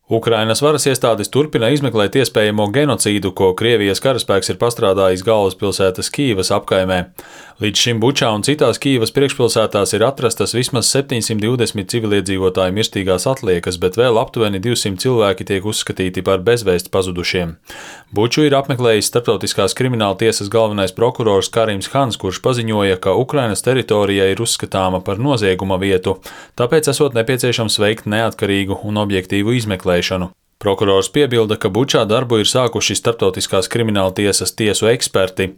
Ukrainas varas iestādes turpina izmeklēt iespējamo genocīdu, ko Krievijas karaspēks ir pastrādājis galvaspilsētas Kīivas apkaimē. Līdz šim Bučā un citās Kīivas priekšpilsētās ir atrastas vismaz 720 civiliedzīvotāju mirstīgās atliekas, bet vēl aptuveni 200 cilvēki tiek uzskatīti par bezvēsti pazudušiem. Buču ir apmeklējis Starptautiskās krimināla tiesas galvenais prokurors Karims Hans, kurš paziņoja, ka Ukrainas teritorija ir uzskatāma par nozieguma vietu, tāpēc esot nepieciešams veikt neatkarīgu un objektīvu izmeklēšanu. Prokurors piebilda, ka Bučā darbu ir sākuši Starptautiskās krimināla tiesas tiesu eksperti.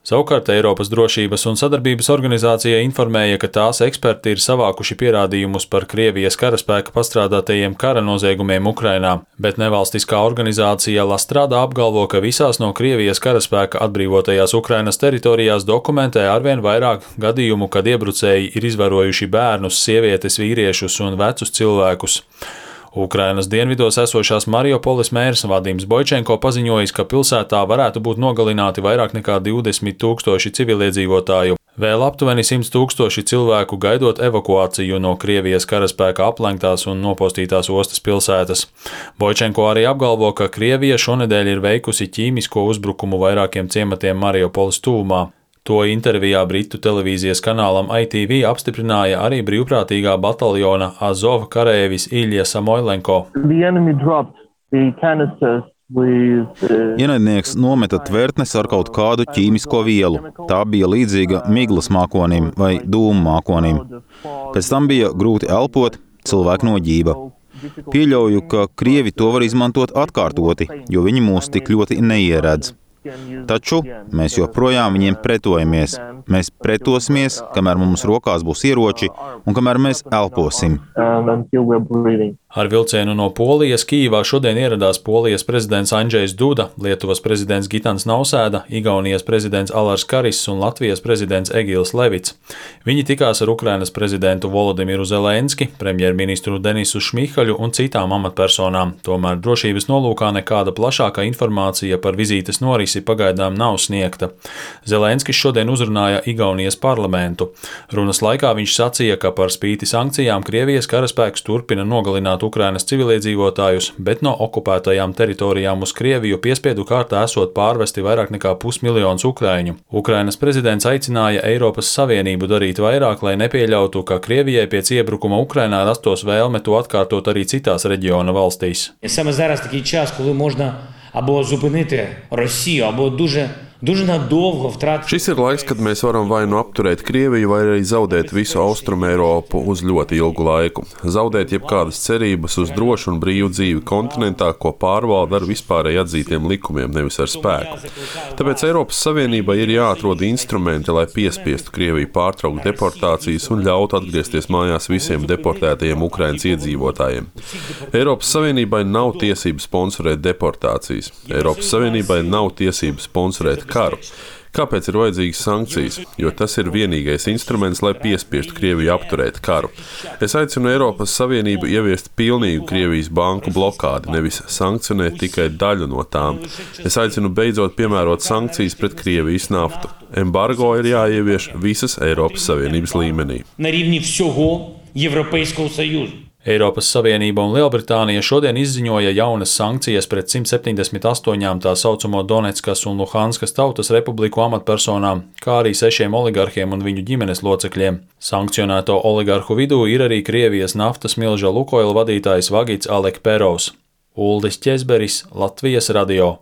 Savukārt Eiropas drošības un sadarbības organizācija informēja, ka tās eksperti ir savākuši pierādījumus par Krievijas karaspēka pastrādātajiem kara noziegumiem Ukrainā, bet nevalstiskā organizācija La Strada apgalvo, ka visās no Krievijas karaspēka atbrīvotajās Ukrainas teritorijās dokumentē arvien vairāk gadījumu, kad iebrucēji ir izvarojuši bērnus, sievietes, vīriešus un vecus cilvēkus. Ukrainas dienvidos esošās Mariupoles mērs Vadims Boičenko paziņojis, ka pilsētā varētu būt nogalināti vairāk nekā 20 000 civiliedzīvotāju, vēl aptuveni 100 000 cilvēku gaidot evakuāciju no Krievijas karaspēka aplenktās un nopostītās ostas pilsētas. Boičenko arī apgalvo, ka Krievija šonedēļ ir veikusi ķīmisko uzbrukumu vairākiem ciematiem Mariupoles tuvumā. To intervijā Britu televīzijas kanālam ITV apstiprināja arī brīvprātīgā bataljona Azov karēvis Ilja Samoilenko. Ienaidnieks nometa tvertnes ar kaut kādu ķīmisko vielu. Tā bija līdzīga miglas mākonim vai dūmu mākonim. Pēc tam bija grūti elpot, cilvēku noģība. Pieļauju, ka Krievi to var izmantot atkārtoti, jo viņi mūs tik ļoti neieredz. Taču mēs joprojām viņiem pretojamies. Mēs pretosimies, kamēr mums rokās būs ieroči un kamēr mēs elposim. Ar vilcienu no Polijas Kīivā šodien ieradās Polijas prezidents Andžejs Duda, Lietuvas prezidents Gitans Nausēda, Igaunijas prezidents Alars Karis un Latvijas prezidents Egils Levits. Viņi tikās ar Ukrainas prezidentu Volodimiru Zelenski, premjerministru Denisu Šmihaļu un citām amatpersonām. Tomēr drošības nolūkā nekāda plašāka informācija par vizītes norisi pagaidām nav sniegta. Zelenskis šodien uzrunāja Igaunijas parlamentu. Runas laikā viņš sacīja, ka par spīti sankcijām Krievijas karaspēks turpina nogalināt Ukrainas civiliedzīvotājus, bet no okupētajām teritorijām uz Krieviju piespiedu kārtā esot pārvesti vairāk nekā 500 000 ukraiņu. Ukrainas prezidents aicināja Eiropas Savienību darīt vairāk, lai nepieļautu, ka Krievijai pēc iebrukuma Ukrainā rastos vēlme to atkārtot arī citās reģiona valstīs. Саме зараз такий час, коли можна або зупинити Росію, або дуже надовго втратити. Šis ir laiks, kad mēs varam vai nu apturēt Krieviju, vai arī zaudēt visu Austrumu Eiropu uz ļoti ilgu laiku. Zaudēt jebkādas cerības uz drošu un brīvu dzīvi kontinentā, ko pārvalda ar vispārēji atzītiem likumiem, nevis ar spēku. Tāpēc Eiropas Savienībai ir jāatrod instrumenti, lai piespiestu Krieviju pārtraukt deportācijas un ļautu atgriezties mājās visiem deportētajiem Ukrainas iedzīvotājiem. Eiropas Savienībai nav tiesības sponsorēt deportācijas. Eiropas Savienībai nav tiesības sponsorēt karu. Kāpēc ir vajadzīgas sankcijas? Jo tas ir vienīgais instruments, lai piespiestu Krieviju apturēt karu. Es aicinu Eiropas Savienību ieviest pilnīgu Krievijas banku blokādi, nevis sankcionēt tikai daļu no tām. Es aicinu beidzot piemērot sankcijas pret Krievijas naftu. Embargo ir jāievieš visas Eiropas Savienības līmenī. На рівні всього Європейського Союзу. Eiropas Savienība un Lielbritānija šodien izziņoja jaunas sankcijas pret 178 tā saucamo Donetskas un Luhanskas tautas republiku amatpersonām, kā arī 6 oligarhiem un viņu ģimenes locekļiem. Sankcionēto oligarhu vidū ir arī Krievijas naftas milža Lukoil vadītājs Vagits Alekperovs. Uldis Ķezberis, Latvijas radio.